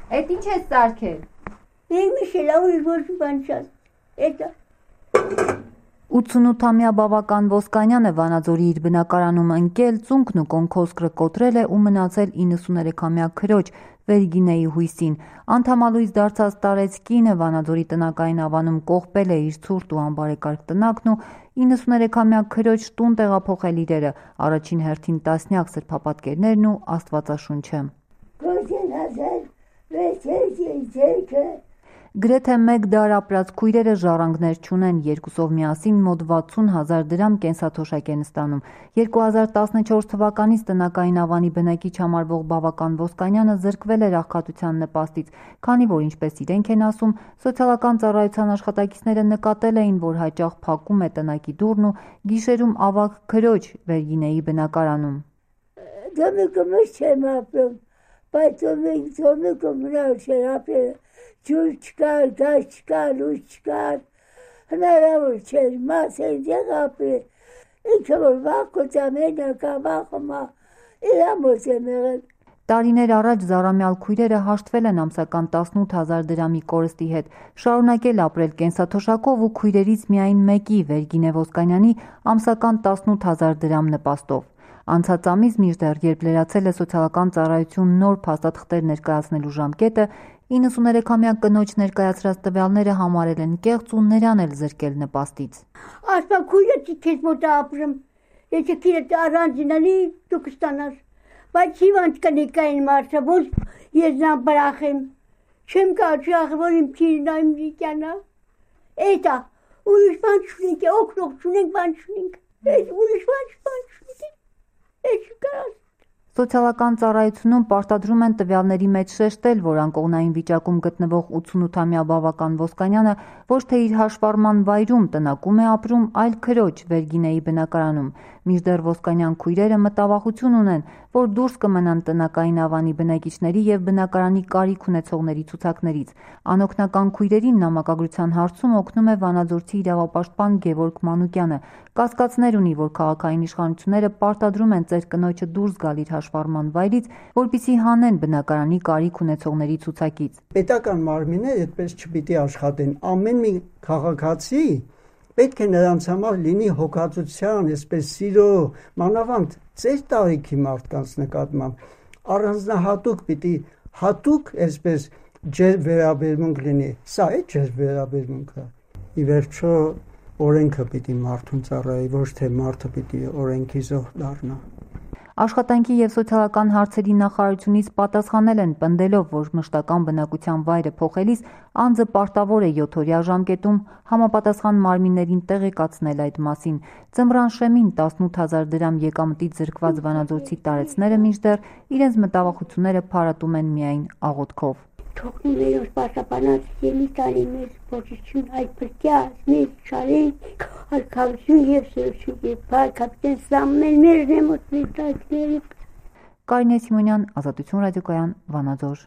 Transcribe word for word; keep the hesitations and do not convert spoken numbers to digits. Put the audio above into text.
Այդ ինչ է սարքել։ Եկ միշելա ուրիշ ոչ մի բան չաս։ Էտա։ ութսունութամյա Բավական Ոսկանյանը Վանաձորի իր բնակարանում ընկել, ծունկն ու կոնքոսկրը կոտրել է ու մնացել իննսուներեքամյա քրոջ Վերգինեի հույսին։ Անդամալույս դարձած տարեց կինը Վանաձորի տնակային ավանում կողպել է իր ցուրտ ու անբարեկարգ տնակն ու իննսուներեքամյա քրոջ տուն տեղափոխել իրերը, առաջին հերթին տասնյակ սրբապատկերներն ու Աստվածաշունչը։ Գրեթե մեկ դար ապրած քույրերը ժառանգներ չունեն, երկուսով միասին մոտ վաթսուն հազար դրամ կենսաթոշակ են ստանում։ երկու հազար տասնչորս թվականից տնակային ավանի բնակիչ համարվող Բավական Ոսկանյանը զրկվել էր աղքատության նպաստից, քանի որ ինչպես իրենք են ասում, սոցիալական ծառայության աշխատակիցները նկատել էին, որ հաճախ փակում է տնակի դուռն ու գիշերում ավագ քրոջ Վերգինեի բնակարանում։ Բայց ծոմիկը մնալ չեր ապրել, ջուր չկար, գազ չկար, լույս չկար, հնարավոր չեր, մաս են դեղ ապրել, ինքը որ վախոց ամենակա վախումա, իրամոց եմ եղել։ Տարիներ առաջ զարամյալ քույրերը հաշտվել են ամսական տասնութ հազար դրամի կորստի հետ, շարունակել ապրել կենսաթոշակով ու քույրերից միայն մեկի Վերգինե Ոսկանյանի ամսական տասնութ հազար դրամ նպաստով։ Անցած ամիս մինչդեռ երբ լրացել է սոցիալական ծառայություն նոր փաստաթղթեր ներկայացնելու ժամկետը, իննսուներեքամյա կնոջ ներկայացրած տվյալները համարել են կեղծ ու նրան էլ զրկել նպաստից։ Ասպա քույրը քեզ մոտ ապրում, եթե քիրդ առանձինանի դու կստանաս, բայց հիվանդ կնիկային մարդը, որ ես նա բրախեմ, չեմ կարճախ, որ իմ քիրն այմ դիկյանա, էտա, ուրիշ բան չունենք, օգնող չունենք, բան չունենք, ուրիշ բան չունենք։ Սոցիալական ծառայությունում պարտադրում են տվյալների մեջ շեշտել, որ անկողնային վիճակում գտնվող ութսունութամյա Բավական Ոսկանյանը ոչ թե իր հաշվառման վայրում տնակում է ապրում, այլ քրոջ Վերգինեի բնակարանում։ Մինչդեռ Ոսկանյան քույրերը մտավախություն ունեն, որ դուրս կմնան տնակային ավանի բնակիչների և բնակարանի կարիք ունեցողների ցուցակներից։ Անօգնական քույրերին նամակագրության հարցում օգնում է վանաձորցի իրավապաշտպան Գևորգ Մանուկյանը։ Կասկածներ ունի, որ քաղաքային իշխանությունները պարտադրում են ծեր կնոջը դուրս գալ իր հաշվառման վայրից, որպեսզի հանեն բնակարանի կարիք ունեցողների ցուցակից։ Պետական մարմինները այդպես չպիտի աշխատեն։ Ամեն մի քաղաքացի պետք է նրանց համար լինի հոգացության, այսպես սիրո, մանավանդ ծեր տարիքի մարդկանց նկատմամբ առանձնահատուկ պիտի հատուկ այսպես ջեր վերաբերմունք լինի։ Սա է ջեր վերաբերմունքը։ Ի վերջո օրենքը պիտի մարդուն ծառայի, ոչ թե մարդը պիտի օրենքի զոհ դառնա։ Աշխատանքի և սոցիալական հարցերի նախարարությունից պատասխանել են պնդելով, որ մշտական բնակության վայրը փոխելիս անձը պարտավոր է յոթօրյա ժամկետում համապատասխան մարմիններին տեղեկացնել այդ մասին։ Ձմռան շեմին տասնութ հազար դրամ եկամտից զրկված վանաձորցի տարեցները մինչդեռ իրենց մտավախությունները փարատում են միայն աղոթքով։ Թողնում երոշ պաշապանած ելի տանի մեզ փոչիչուն այդ պրկյաս, մեզ շարեն, հարկավություն և սրություն և պար կապիտեն սամմել մեր նեմոտ մեր տայքների։ Կարինե Սիմոնյան, Ազատություն ռադիոկայան, Վանաձոր։